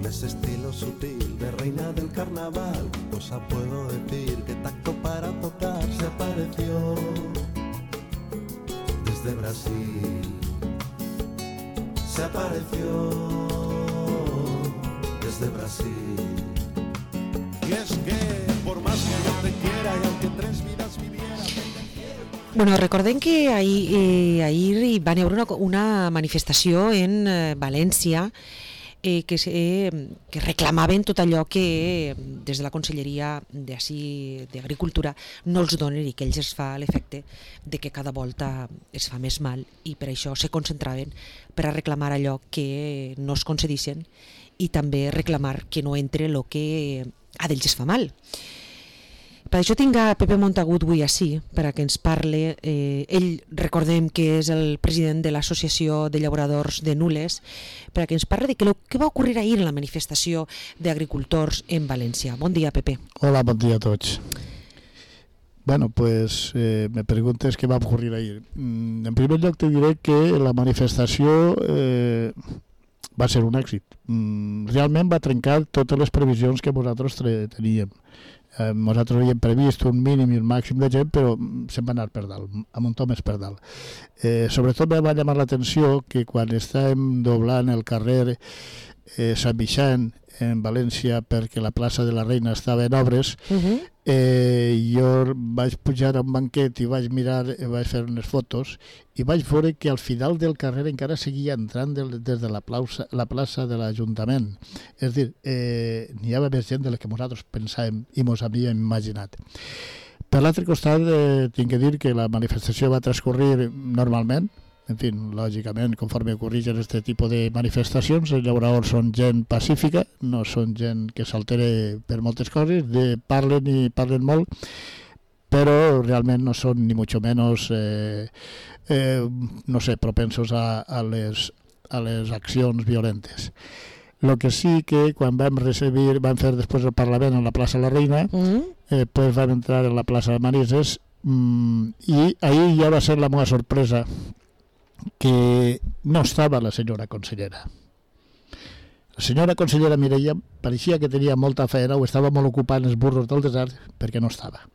ese estilo sutil de reina del carnaval, ¿qué cosa puedo decir? ¿Qué tacto para tocar? Se apareció desde Brasil. Se apareció desde Brasil. Y es que por más que yo te quiera y aunque 3 vidas viviera... Bueno, recordem que ahir hi va haver una manifestació en València que reclamaven tot allò que des de la Conselleria d'Agricultura no els donen i que ells es fa l'efecte de que cada volta es fa més mal, i per això se concentraven per a reclamar allò que no es concedissin i també reclamar que no entre el que a d'ells es fa mal. Per això tinc a Pepe Montagut avui ací, per a que ens parle. Ell, recordem que és el president de l'Associació de Llauradors de Nules, per a que ens parle de què va ocorrir ahir en la manifestació d'agricultors en València. Bon dia, Pepe. Hola, bon dia a tots. Bueno, pues me preguntes què va ocorrir ahir. En primer lloc te diré que la manifestació va ser un èxit. Realment va trencar totes les previsions que nosaltres teníem. Nosaltres havíem previst un mínim i un màxim de gent, però se'n va anar per dalt, a muntó més per dalt. Sobretot me va llamar l'atenció que quan estàvem doblant el carrer Sant Vicent en València, perquè la plaça de la Reina estava en obres, jo vaig pujar a un banquet i vaig mirar, vaig fer unes fotos i vaig veure que al final del carrer encara seguia entrant des de la plaça de l'Ajuntament. És a dir, n'hi havia més gent de la que nosaltres pensàvem i ens havíem imaginat. Per l'altre costat, tinc que dir que la manifestació va transcorrir normalment. En fi, lògicament, conforme ocorreixen aquest tipus de manifestacions, els llauradors són gent pacífica, no són gent que s'altere per moltes coses, parlen i parlen molt, però realment no són ni mucho menos, no sé, propensos a les accions violentes. El que sí que quan vam fer després el Parlament en la plaça La Reina, pues vam entrar en la plaça de Manises i ahir ja va ser la meva sorpresa que no estava la senyora consellera. La senyora consellera Mireia pareixia que tenia molta feina o estava molt ocupada en els burros del desert perquè no estava.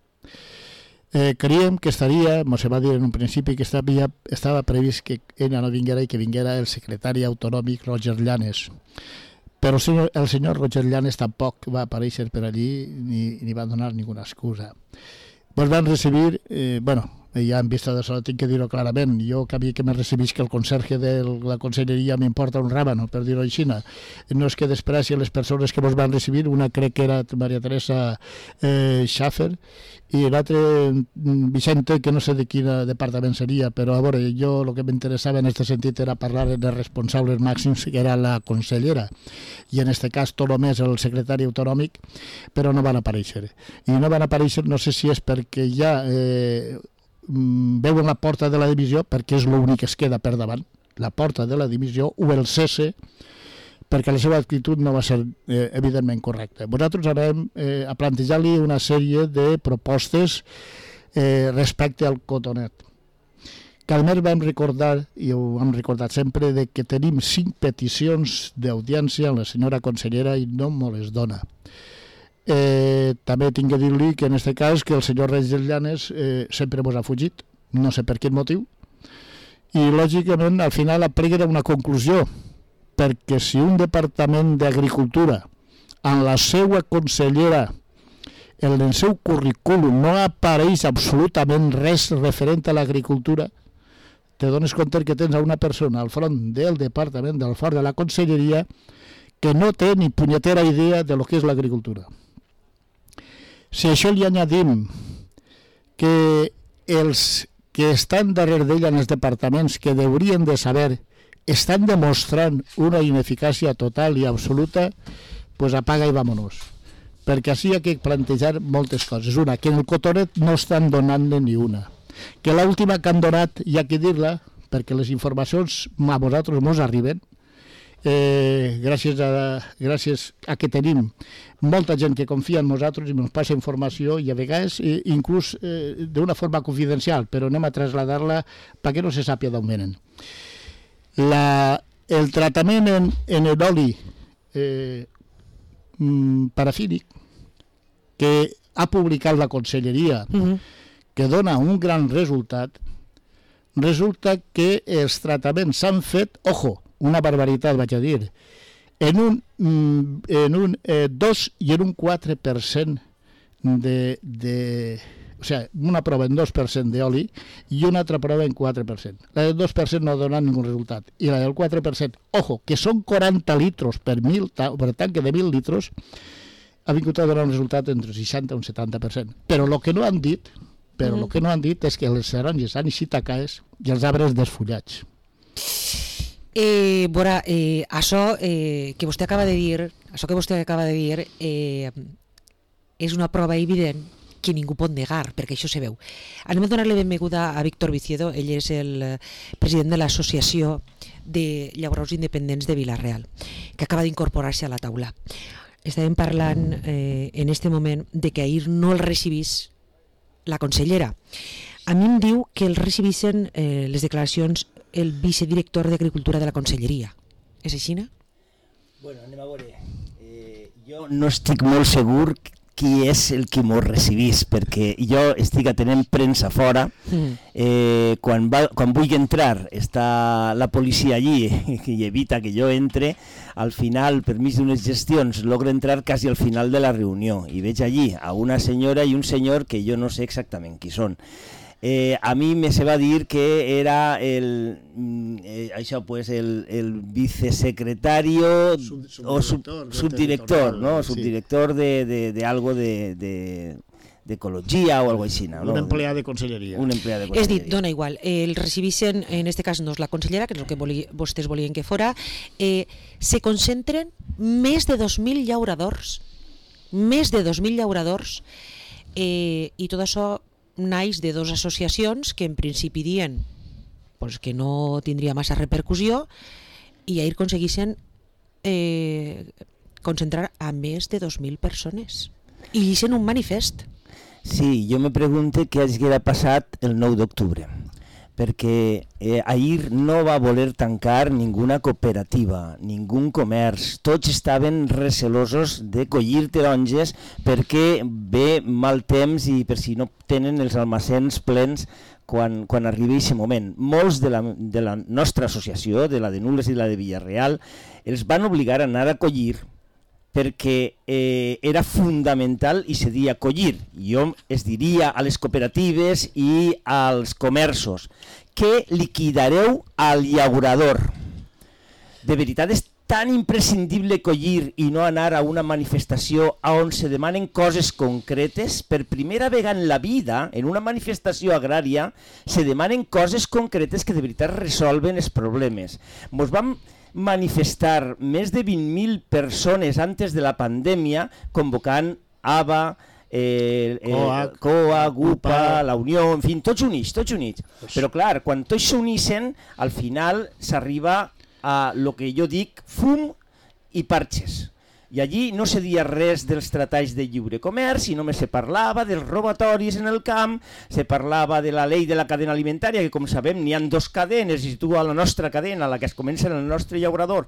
Creiem que estaria, ens va dir en un principi que estava previst que ella no vinguera i que vinguera el secretari autonòmic Roger Llanes. Però el senyor Roger Llanes tampoc va aparèixer per allí ni va donar ninguna excusa. Ens van recibir, ja en vista d'això tinc que dir-ho clarament, jo que me recibís que el conserge de la conselleria m'importa un ràbano, per dir-ho així. No és que despreci les persones que ens van recibir, una crec que era Maria Teresa Schaffer i l'altre Vicente, que no sé de quin departament seria, però a veure, jo el que m'interessava en aquest sentit era parlar dels responsables màxims, que era la consellera, i en aquest cas tot només el secretari autonòmic, però no van aparèixer. I no van aparèixer, no sé si és perquè ja veuen la porta de la dimissió, perquè és l'únic que es queda per davant, la porta de la dimissió, o el cese, perquè la seva actitud no va ser evidentment correcta. Nosaltres anem a plantejar-li una sèrie de propostes respecte al cotonet. Que a més vam recordar, i ho hem recordat sempre, que tenim 5 peticions d'audiència a la senyora consellera i no me les dona. També tinc que dir-li que en aquest cas que el senyor Roger Llanes sempre ens ha fugit, no sé per quin motiu, i lògicament al final aplega una conclusió, perquè si un departament d'agricultura en la seva consellera en el seu currículum no apareix absolutament res referent a l'agricultura, te dones compte que tens una persona al front del departament del fort de la conselleria que no té ni punyetera idea de lo que és l'agricultura. Si això li añadim que els que estan darrere d'ella en els departaments que haurien de saber estan demostrant una ineficàcia total i absoluta, pues apaga i vámonos. Perquè així hi ha que plantejar moltes coses. Una, que en el cotonet no estan donant-ne ni una. Que l'última que han donat hi ha que dir-la, perquè les informacions a vosaltres ens arriben, gràcies a que tenim molta gent que confia en nosaltres i ens passa informació i a vegades inclús d'una forma confidencial, però anem a traslladar-la perquè no se sàpiga d'on venen. El tractament en l'oli parafínic que ha publicat la Conselleria, que dona un gran resultat. Resulta que els tractaments s'han fet, ojo, una barbaritat vaig a dir, en un 2 i en un 4% o sigui, una prova en 2% d'oli i una altra prova en 4%. La del 2% no dona ningú resultat. I la del 4%, ojo, que són 40 litros per tanque de 1.000 litros, ha vingut a donar un resultat entre 60 i un 70%. Però el que no han dit, és que les taronges han eixit a caes i els arbres desfullats. Això que vostè acaba de dir, és una prova evident que ningú pot negar, perquè això se veu. Anem a donar-li benvinguda a Víctor Viciedo. Ell és el president de l'Associació de Llauradors Independents de Vila-real, que acaba d'incorporar-se a la taula. Estàvem parlant en este moment de que ahir no el recibís la consellera. A mi em diu que el recibissin les declaracions el vicedirector d'Agricultura de la Conselleria. És així, no? Bueno, anem a veure. Jo no estic molt segur qui és el que m'ho recibís, perquè jo estic atenent premsa fora. Quan vull entrar està la policia allí i evita que jo entre. Al final, per mig d'unes gestions, logro entrar quasi al final de la reunió i veig allí a una senyora i un senyor que jo no sé exactament qui són. A mi me se va dir que era el vicesecretario o subdirector, ¿no? Subdirector de algo de ecologia o algo així, no? Un empleat de conselleria. És dit, dona igual, el recibissin, en este cas no és la consellera, que és el que vostès volien que fora, se concentren més de 2.000 llauradors, i tot això naix de dues associacions que en principi dien que no tindria massa repercussió i ahir aconseguissin concentrar a més de 2.000 persones i llicen un manifest. Sí, jo me pregunto què haguera passat el 9 d'octubre, perquè ahir no va voler tancar ninguna cooperativa, ningú comerç. Tots estaven recelosos de collir taronges perquè ve mal temps i per si no tenen els almacens plens quan arribi aquest moment. Molts de la nostra associació, de la de Nules i la de Vila-real, els van obligar a anar a collir perquè era fundamental i se dia collir. Jo es diria a les cooperatives i als comerços que liquidareu al llaurador. De veritat és tan imprescindible collir i no anar a una manifestació on se demanen coses concretes. Per primera vegada en la vida, en una manifestació agrària, se demanen coses concretes que de veritat resolven els problemes. Ens vam manifestar més de 20.000 persones antes de la pandèmia convocant ABA, COA, GUPA, la Unió, en fi, tots units. Però clar, quan tots s'unixen, al final s'arriba a lo que jo dic fum i parxes. I allí no se dia res dels tractats de lliure comerç i només se parlava dels robatoris en el camp, se parlava de la llei de la cadena alimentària, que com sabem n'hi ha dues cadenes, i si tu a la nostra cadena, a la que es comença en el nostre llaurador,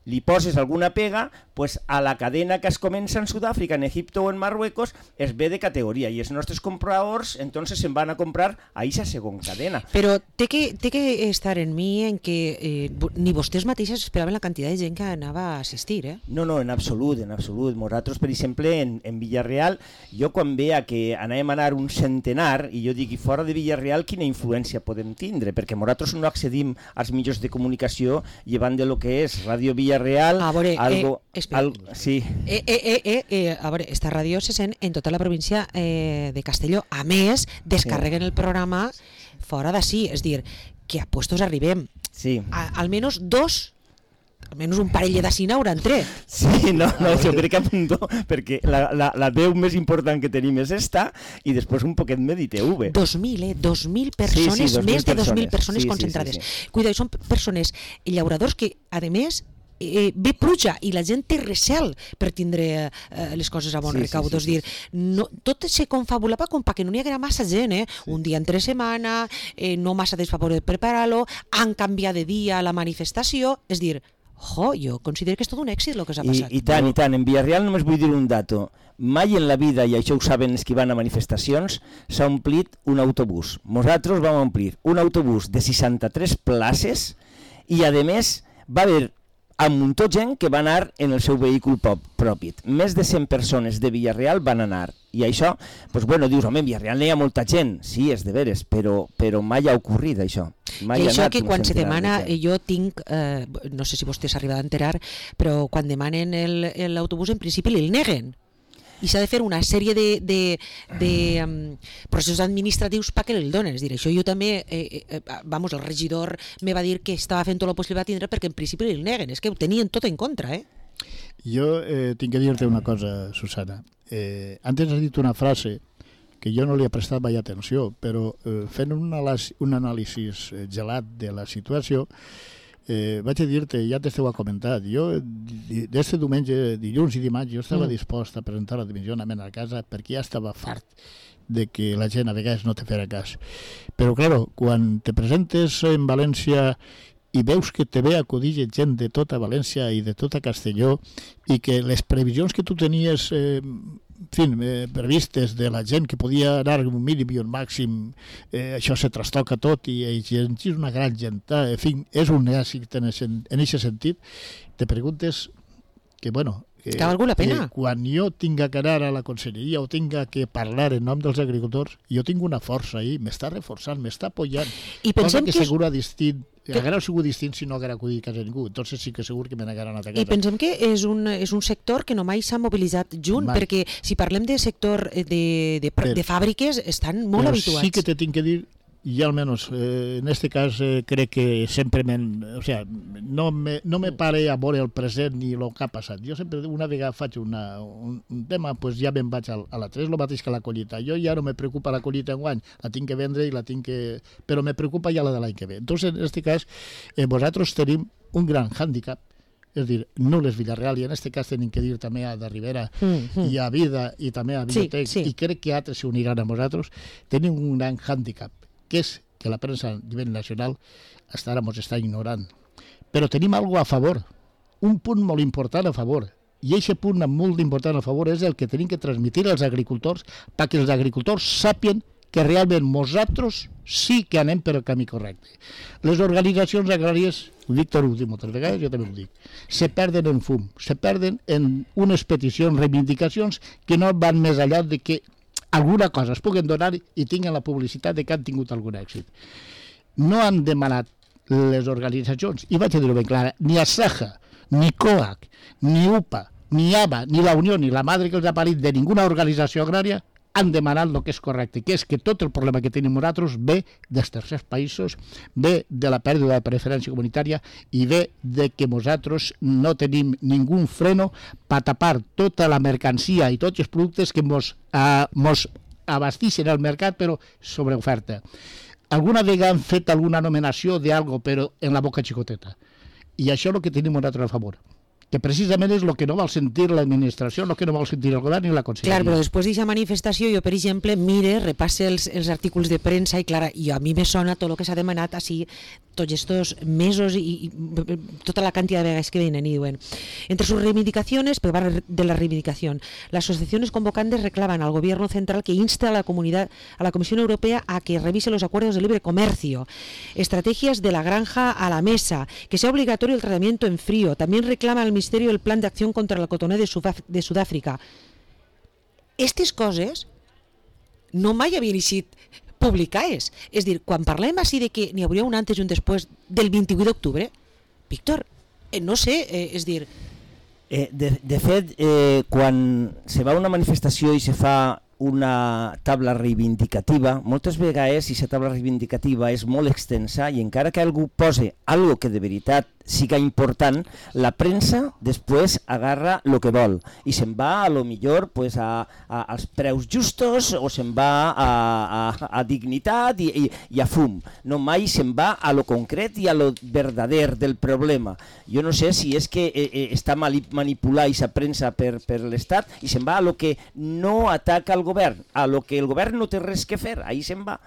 li poses alguna pega, pues a la cadena que es comença en Sud-àfrica, en Egipto o en Marruecos, es ve de categoria i els nostres compradors entonces se'n van a comprar a aquesta segona cadena. Però té que estar en mi en que ni vostès mateixes esperaven la quantitat de gent que anava a assistir, eh? No, en absolut. Nosaltres, per exemple, en Vila-real, jo quan veia que anàvem a anar un centenar, i jo dic, i fora de Vila-real, quina influència podem tindre? Perquè nosaltres no accedim als mitjans de comunicació llevant de lo que és Ràdio Vila-real, sí. A veure, esta ràdio se sent en tota la província de Castelló. A més, descarreguen el programa fora d'ací, és dir, que a puestos arribem. Sí. Almenys un parell d'ací n'hauran tret. Sí, no, jo crec que apuntó, perquè la veu més important que tenim és esta, i després un poquet més d'ITV. 2.000 persones, més de 2.000 persones concentrades. Cuidado, són persones llauradors que, a més, ve pluja i la gent té recel per tindre les coses a bon recau. És dir, tot se confabulava com perquè no n'hi haguera massa gent, un dia entre setmana, no massa desfavor de preparar-lo, han canviat de dia la manifestació, és dir, jo considero que és tot un èxit el que s'ha passat. I tant. En Villarreal només vull dir un dato. Mai en la vida, i això ho saben els que van a manifestacions, s'ha omplit un autobús. Nosaltres vam omplir un autobús de 63 places i, a més, va haver un muntó de gent que va anar en el seu vehicle propi. Més de 100 persones de Villarreal van anar. I això, doncs, dius, home, en Villarreal no hi ha molta gent. Sí, és de veres, però mai ha ocorrit això. I això que quan se demana, jo tinc, no sé si vostè s'ha arribat a enterar, però quan demanen l'autobús en principi el neguen. I s'ha de fer una sèrie de processos administratius perquè el donen. És a dir, això jo també, el regidor me va dir que estava fent tot el possible a tindre perquè en principi el neguen. És que ho tenien tot en contra, Jo tinc que dir-te una cosa, Susana. Antes has dit una frase que jo no li he prestat mai atenció, però fent un anàlisi gelat de la situació, vaig a dir-te, ja t'ho he comentat, jo d'este diumenge, dilluns i dimarts, jo estava dispost a presentar la dimissionament a casa perquè ja estava fart de que la gent a vegades no te fera cas. Però, clar, quan te presentes en València i veus que te ve a acudir gent de tota València i de tota Castelló i que les previsions que tu tenies previstes de la gent que podia anar un mínim i un màxim, això se trastoca tot i és una gran gent. En fi, és un èxit en aquest sentit. Te preguntes que, que valgú la pena. Quan jo tinga que anar a la conselleria o tinga que parlar en nom dels agricultors, jo tinc una força ahí, m'està reforçant, m'està apoyant. I pensem que segur distint, haguera sigut distint si no haguera acudit a casa ningú, entonces sí que segur que me n'haguera anat a casa. I pensem que és un sector que no mai s'ha mobilitzat junt, perquè si parlem de sector de fàbriques, estan molt habituats. Però sí que te tinc que dir, y al menos en este cas crec que sempre no me pare a veure el present ni el que ha passat. Jo sempre una vegada faig un tema, pues ja me'n vaig a la 3, el mateix que la collita. Jo ja no me preocupa la collita enguany, la tinc que vendre i la tinc que... però me preocupa ja la de l'any que ve. Entonces, en este cas, vosaltres tenim un gran hàndicap, és dir, no les Villarreal, i en aquest cas tenim que dir també a de Ribera i a Vida i també a Videotec, i crec que altres s'uniran a vosaltres, tenim un gran hàndicap, que és que la premsa a nivell nacional hasta ara ens està ignorant. Però tenim alguna a favor, un punt molt important a favor, i aquest punt molt important a favor és el que tenim que transmetre als agricultors perquè els agricultors sàpien que realment nosaltres sí que anem per el camí correcte. Les organitzacions agràries, Víctor ho diu moltes vegades, jo també ho dic, se perden en fum, se perden en unes peticions, reivindicacions que no van més enllà de que alguna cosa es puguen donar i tinguen la publicitat de que han tingut algun èxit. No han demanat les organitzacions, i vaig a dir-ho ben clara, ni ASAJA, ni COAC, ni UPA, ni ABA, ni la Unió, ni la madre que els ha parit de ninguna organització agrària han demanat el que és correcte, que és que tot el problema que tenim nosaltres ve dels tercers països, ve de la pèrdua de preferència comunitària i ve de que nosaltres no tenim ningú freno per tapar tota la mercancia i tots els productes que mos abastixen al mercat, però sobre oferta. Alguna vegada han fet alguna nomenació d'algo, però en la boca xicoteta. I això és el que tenim nosaltres a favor, que precisament és el que no vol sentir l'administració, el que no vol sentir el govern ni la conselleria. Clar, però després d'aquesta manifestació, jo, per exemple, repasse els articles de premsa i, clar, a mi me sona tot el que s'ha demanat així tots estos mesos i tota la cantidad de vegades que vienen y diuen. Entre sus reivindicaciones, pero va de la reivindicación, las asociaciones convocantes reclaman al gobierno central que inste a la Comisión Europea a que revise los acuerdos de libre comercio, estrategias de la granja a la mesa, que sea obligatorio el tratamiento en frío. También reclama al Ministerio el plan de acción contra el cotoner de Sudáfrica. Aquestes coses no mai havien eixit publicades. És dir, quan parlem així de que n'hi hauria un antes i un després del 28 d'octubre, Víctor, no sé, és dir... De fet, quan se va a una manifestació i se fa una taula reivindicativa, moltes vegades aquesta taula reivindicativa és molt extensa i encara que algú posi algo que de veritat siga important, la premsa després agarra el que vol i se'n va a lo millor als preus justos o se'n va a dignitat i a fum. No mai se'n va a lo concret i a lo verdader del problema. Jo no sé si és que està manipulada aquesta premsa per l'Estat i se'n va a lo que no ataca el govern, a lo que el govern no té res que fer, ahí se'n va.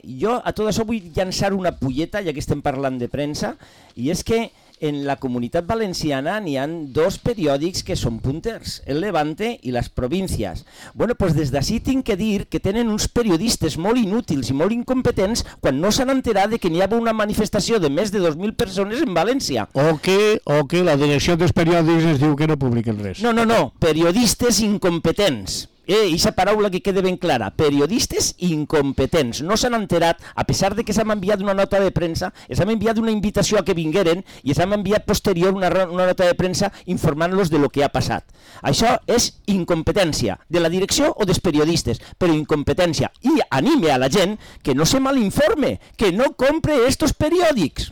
Jo a tot això vull llançar una pulleta, ja que estem parlant de premsa, i és que en la Comunitat Valenciana n'hi ha 2 periòdics que són punters, el Levante i les Províncies. Bueno, doncs des d'ací tinc que dir que tenen uns periodistes molt inútils i molt incompetents quan no s'han enterat de que n'hi havia una manifestació de més de 2.000 persones en València. O que la direcció dels periòdics ens diu que no publiquen res. No, periodistes incompetents. Eixa paraula que quede ben clara, periodistes incompetents. No s'han enterat, a pesar de que s'han enviat una nota de premsa, s'han enviat una invitació a que vingueren i s'han enviat posterior una nota de premsa informant-los de lo que ha passat. Això és incompetència de la direcció o dels periodistes, però incompetència. I anime a la gent que no se malinforme, que no compre estos periòdics.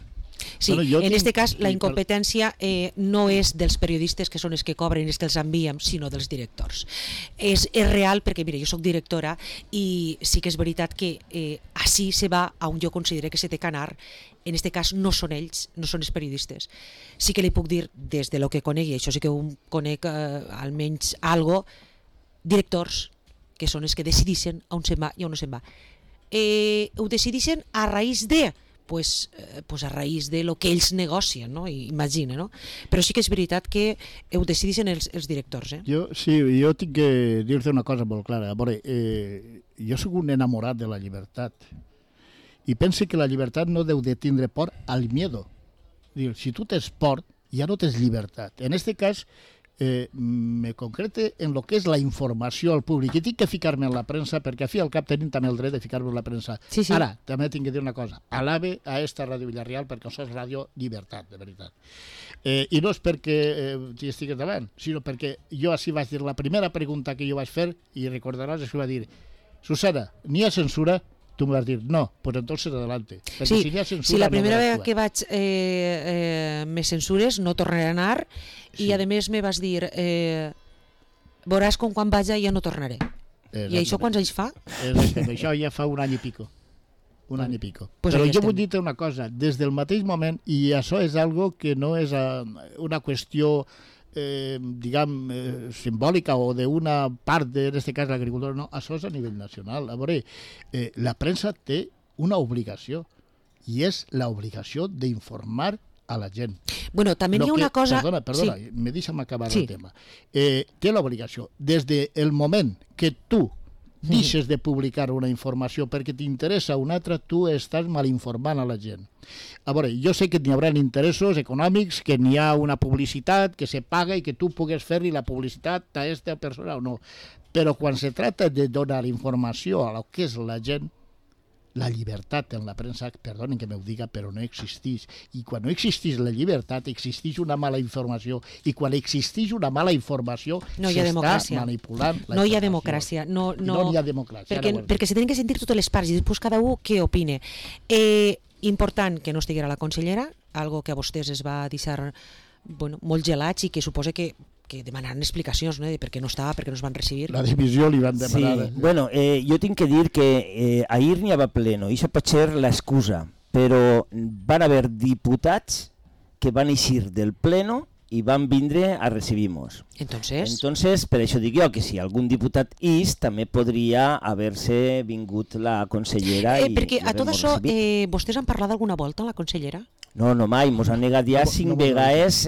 Sí, en este cas la incompetència no és dels periodistes que són els que cobren i els que els enviem, sinó dels directors. És real perquè, mira, jo soc directora i sí que és veritat que així se va a on jo considero que se té que anar. En este cas no són ells, no són els periodistes. Sí que li puc dir, des de lo que conegui, això sí que ho conec almenys algo, directors que són els que decidixen on se'n va i on no se'n va. Ho decidixen a raïs de... Pues a raïs de lo que ells negocien, no? Imagina, no? Però sí que és veritat que ho decideixen els directors. Jo tinc que dir-te una cosa molt clara. A veure, jo soc un enamorat de la llibertat i pense que la llibertat no deu de tindre por al miedo. Si tu tens por, ja no tens llibertat. En este cas, me concrete en lo que és la informació al públic i tinc que ficar-me en la premsa perquè a fi al cap tenim també el dret de ficar-me en la premsa. Sí. Ara, també tinc que dir una cosa, alabe a esta Ràdio Villarreal perquè això és ràdio llibertat, de veritat. I no és perquè t'hi estigues davant, sinó perquè jo així vaig dir la primera pregunta que jo vaig fer i recordaràs que va dir, Susana, n'hi ha censura? Tu me vas dir, no, pues entonces adelante. Sí, si la primera vegada que vaig me censures no tornaré a anar i a més me vas dir veuràs com quan vaja ja no tornaré. I això quants anys fa? Això ja fa un any i pico. Pues però jo vull dir-te una cosa, des del mateix moment, i això és algo que no és una qüestió simbòlica o d'una part, en aquest cas l'agricultura, no, això és a nivell nacional. A veure, la premsa té una obligació i és l'obligació d'informar a la gent. Bueno, també hi ha una cosa... Perdona, me deixa'm acabar el tema. Té l'obligació, des del moment que tu deixes de publicar una informació perquè t'interessa una altra, tu estàs malinformant a la gent. A veure, jo sé que n'hi haurà interessos econòmics, que n'hi ha una publicitat que se paga i que tu pugues fer-li la publicitat a aquesta persona o no. Però quan se trata de donar informació a lo que és la gent, la llibertat en la premsa, perdonen que m'ho diga, però no existeix. I quan no existeix la llibertat, existeix una mala informació. I quan existeix una mala informació, s'està manipulant la informació. No hi ha democràcia. No hi ha democràcia. Perquè se tenen que sentir totes les parts i després cada un què opine. Important que no estiguera la consellera, algo que a vostès es va deixar molt gelats i que suposa que demanaran explicacions, no? De per què no estava, per què no es van recibir. La divisió li van demanar. Sí. Bueno, jo tinc que dir que ahir n'hi havia pleno, i això pot ser l'excusa, però van haver diputats que van eixir del pleno i van vindre a recibir-nos. Entonces, per això dic jo que si algun diputat també podria haver-se vingut la consellera i perquè a tot això, vostès han parlat alguna volta amb la consellera? No, mai, mos han negat ja 5 vegades,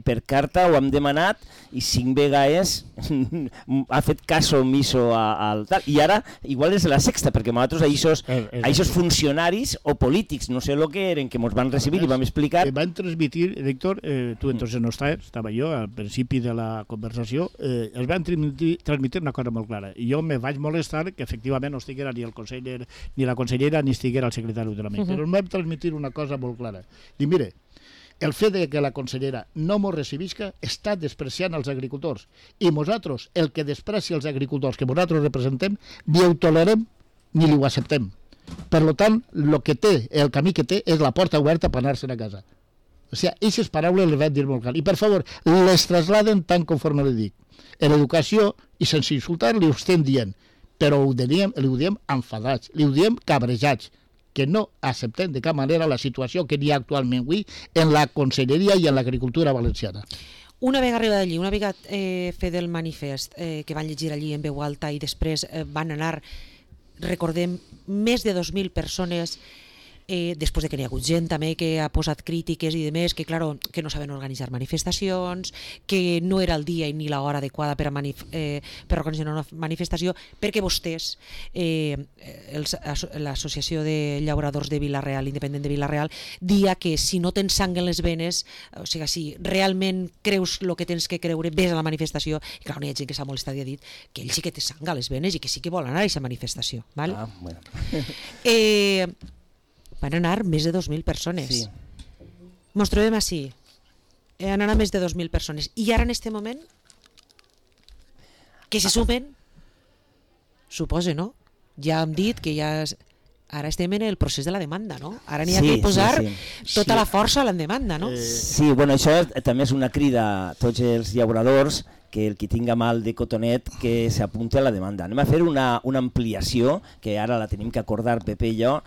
per carta ho hem demanat i 5 vegades ha fet cas omiso al tal. I ara igual és la sexta, perquè nosaltres aquests funcionaris o polítics, no sé el que eren, que mos van recibir i vam explicar... Van transmitir, Héctor, tu entonces no estava jo al principi de la conversació, els van transmitir una cosa molt clara. I jo me vaig molestar que efectivament no estiguera ni el conseller ni la consellera ni estiguera el secretari autonòmic, però em vam transmitir una cosa molt clara. Dic, mire, el fet de que la consellera no mos recibisca està despreciant els agricultors i nosaltres, el que desprecia els agricultors que nosaltres representem, ni ho tolerem ni ho acceptem. Per tant, el camí que té és la porta oberta per anar-se'n a casa. O sigui, aquestes paraules les vaig dir molt clar. I per favor, les trasladen tant conforme li dic. En l'educació, i sense insultar, li ho estem dient, però ho diem enfadats, li ho diem cabrejats, que no acceptem de cap manera la situació que hi ha actualment avui en la conselleria i en l'agricultura valenciana. Una vegada arriba d'allí, una vegada fet el manifest que van llegir allí en veu alta i després van anar, recordem, més de 2.000 persones després de que n'hi ha hagut gent també que ha posat crítiques i demés, que claro, que no saben organitzar manifestacions, que no era el dia ni l'hora adequada per organitzar una manifestació, perquè vostès, l'associació de llauradors de Vila-real, independent de Vila-real, dia que si no tens sang en les venes, o sigui, si realment creus el que tens que creure, ves a la manifestació, i clar, hi ha gent que s'ha molestat i ha dit que ell sí que té sang a les venes i que sí que vol anar a aquesta manifestació. Val? Bueno. Van anar més de 2.000 persones. Sí. Mos trobem així. Han anat més de 2.000 persones. I ara en aquest moment que se sumen, suposa, no? Ja hem dit que ja... Ara estem en el procés de la demanda, no? Ara n'hi ha que posar tota la força a la demanda, no? Sí, bueno, això també és una crida a tots els llauradors, que el qui tinga mal de cotonet que s'apunti a la demanda. Anem a fer una ampliació, que ara la tenim que acordar Pepe i jo,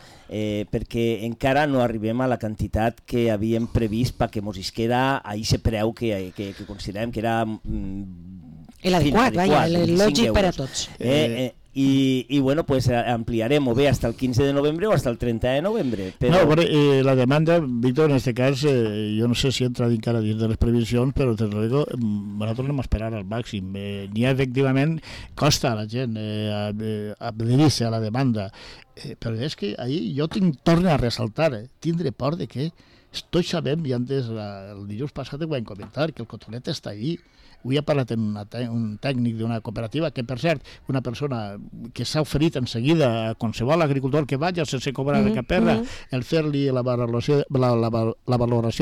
perquè encara no arribem a la quantitat que havíem previst perquè mos isquera a aquest preu que considerem que era l'adequat, el lògic per a tots. I bueno, pues ampliarem o bé hasta el 15 de novembre o hasta el 30 de novembre. Però... No, però la demanda, Víctor, en este cas, jo no sé si entra encara dins de les previsions, però te lo digo, nosaltres anem a esperar al màxim. N'hi ha, efectivament, costa a la gent adherir-se a la demanda, però és que ahir jo torno a ressaltar, tindre por de que tots sabem, i antes el dilluns passat ho vam comentar, que el cotonet està ahí. Avui ha parlat amb un tècnic d'una cooperativa, que per cert, una persona que s'ha oferit en seguida a qualsevol agricultor que vagi sense cobrar de cap perra, el fer-li la valoració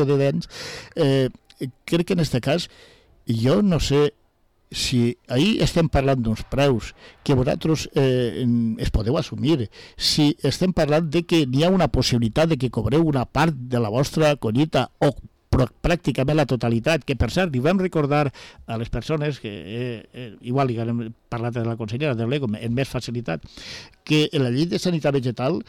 de dents. Crec que en aquest cas, jo no sé si ahir estem parlant d'uns preus que vosaltres es podeu assumir, si estem parlant de que n'hi ha una possibilitat de que cobreu una part de la vostra collita o pràcticament la totalitat, que per cert, li vam recordar a les persones, que igual li hem parlat de la consellera de l'EGO amb més facilitat, que la llei de sanitat vegetal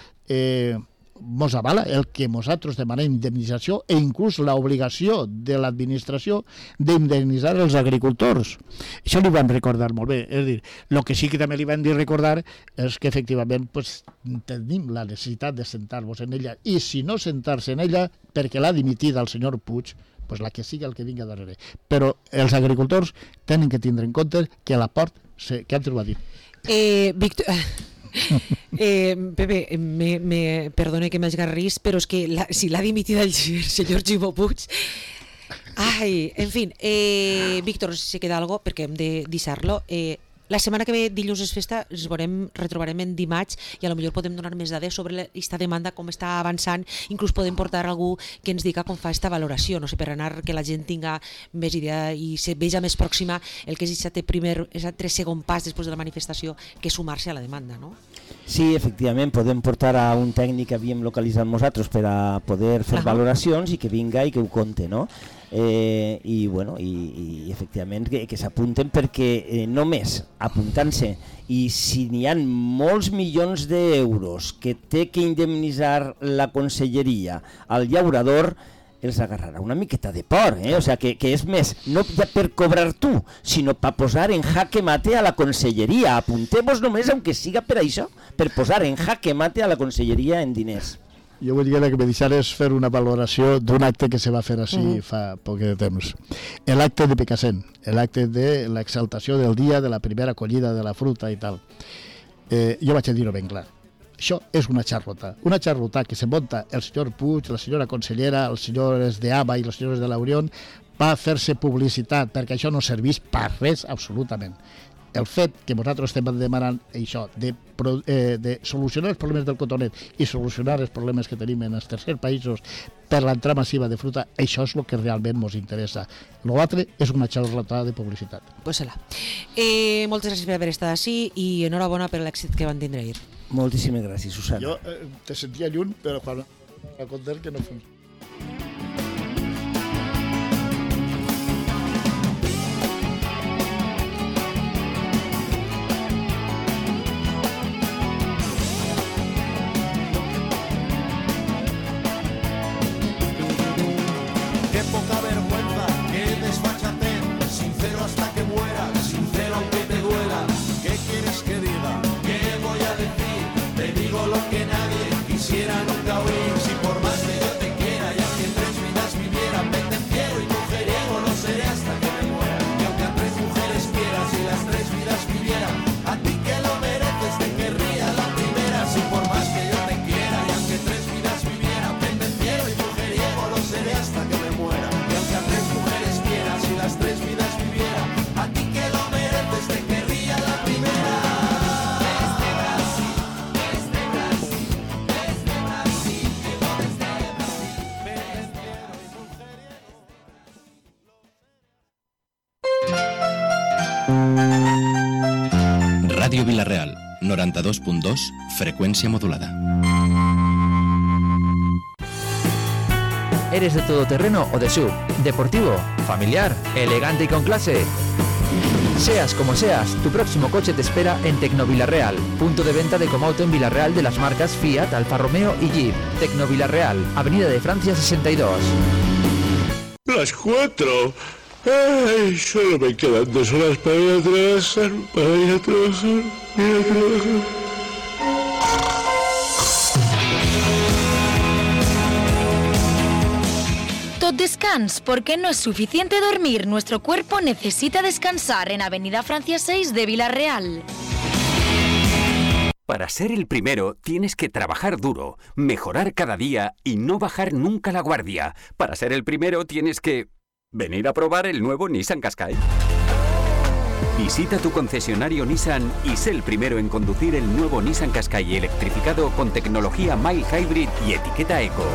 mos avala el que nosaltres demanem indemnització i inclús l'obligació de l'administració d'indemnitzar els agricultors. Això li vam recordar molt bé. És a dir, el que sí que també li vam dir recordar és que efectivament tenim la necessitat de sentar-nos en ella, i si no sentar-se en ella perquè l'ha dimitit el senyor Puig, la que sigui el que vinga darrere. Però els agricultors tenen que tindre en compte que l'aport, que antes ho ha dit. Víctor... Pepe, perdone que m'esgarrís, però és que si l'ha dimitit el senyor Ximo Puig... Ai, en fi, Víctor, si queda algo, perquè hem de deixar-lo. La setmana que ve, dilluns és festa, ens retrobarem en dimarts i potser podem donar més dades sobre aquesta demanda, com està avançant, inclús podem portar algú que ens diga com fa aquesta valoració, no sé, per anar que la gent tinga més idea i se veja més pròxima el que és aquest segon pas després de la manifestació, que és sumar-se a la demanda, no? Sí, efectivament, podem portar a un tècnic que havíem localitzat nosaltres per a poder fer valoracions i que vinga i que ho conte, no? I efectivament que s'apunten, perquè només apuntant-se, i si n'hi ha molts milions d'euros que té que indemnitzar la conselleria al llaurador, els agarrarà una miqueta de por, o sigui, que és més, no ja per cobrar tu, sinó per posar en jaque mate a la conselleria. Apuntem-nos només, aunque siga per això, per posar en jaque mate a la conselleria en diners. Jo vull dir que me deixares fer una valoració d'un acte que se va fer així fa poc de temps. L'acte de Picassent, l'acte de l'exaltació del dia de la primera collida de la fruta i tal. Jo vaig a dir-ho ben clar. Això és una xarrota que se munta el senyor Puig, la senyora consellera, els senyors d'ABA i les senyores de l'Orion, per fer-se publicitat, perquè això no serveix per res absolutament. El fet que nosaltres estem demanant això, de solucionar els problemes del cotonet i solucionar els problemes que tenim en els tercers països per l'entrada massiva de fruta, això és el que realment ens interessa. L'altre és una xarrota de publicitat. Pues moltes gràcies per haver estat així i enhorabona per l'èxit que van tindre ahir. Moltíssimes gràcies, Susana. Jo te sentia lluny, però quan a comptar que no funciona. Quisiera nunca oír. Ràdio Vila-real, 92.2, frecuencia modulada. ¿Eres de todoterreno o de SUV? ¿Deportivo? ¿Familiar? ¿Elegante y con clase? Seas como seas, tu próximo coche te espera en Tecnovilarreal, punto de venta de Comauto en Villarreal de las marcas Fiat, Alfa Romeo y Jeep. Tecnovilarreal, Avenida de Francia 62. Las 4. Ay, solo me quedan 2 horas para ir a trabajar, Tot descans, porque no es suficiente dormir. Nuestro cuerpo necesita descansar en Avenida Francia 6 de Villarreal. Para ser el primero, tienes que trabajar duro, mejorar cada día y no bajar nunca la guardia. Para ser el primero, tienes que venir a probar el nuevo Nissan Qashqai. Visita tu concesionario Nissan y sé el primero en conducir el nuevo Nissan Qashqai electrificado con tecnología Mild Hybrid y etiqueta Eco.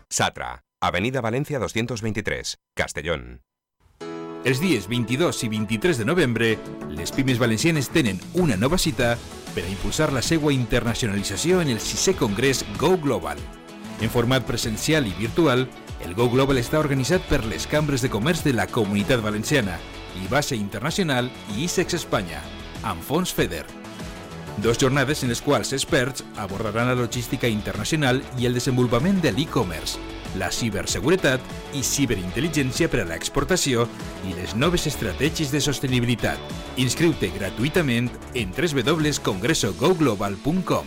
Satra, Avenida Valencia 223, Castellón. Els dies 22 i 23 de novembre, les pimes valencianes tenen una nova cita per a impulsar la seva internacionalització en el 6è Congrés Go Global. En format presencial i virtual, el Go Global està organitzat per les cambres de comerç de la Comunitat Valenciana, IBASE Internacional i ISEX Espanya, amb fons FEDER. 2 jornades en les quals experts abordaran la logística internacional i el desenvolupament de l'e-commerce, la ciberseguretat i ciberintel·ligència per a l'exportació i les noves estratègies de sostenibilitat. Inscriu-te gratuïtament en www.congresogoglobal.com.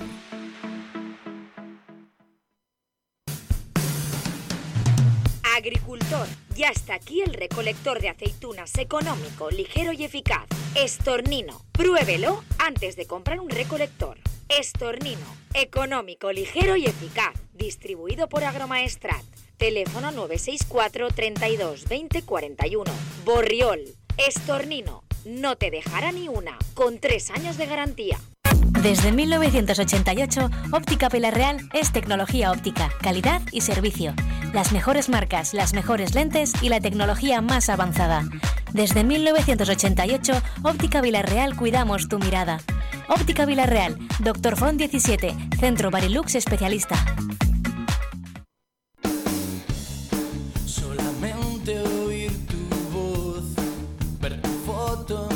Agricultor, ya está aquí el recolector de aceitunas económico, ligero y eficaz. Estornino, pruébelo antes de comprar un recolector. Estornino, económico, ligero y eficaz. Distribuido por Agromaestrat. Teléfono 964 32 20 41. Borriol, Estornino, no te dejará ni una, con 3 años de garantía. Desde 1988, Óptica Villarreal es tecnología óptica, calidad y servicio. Las mejores marcas, las mejores lentes y la tecnología más avanzada. Desde 1988, Óptica Villarreal cuidamos tu mirada. Óptica Villarreal, Dr. Font 17, Centro Barilux Especialista. Solamente oír tu voz, ver tu foto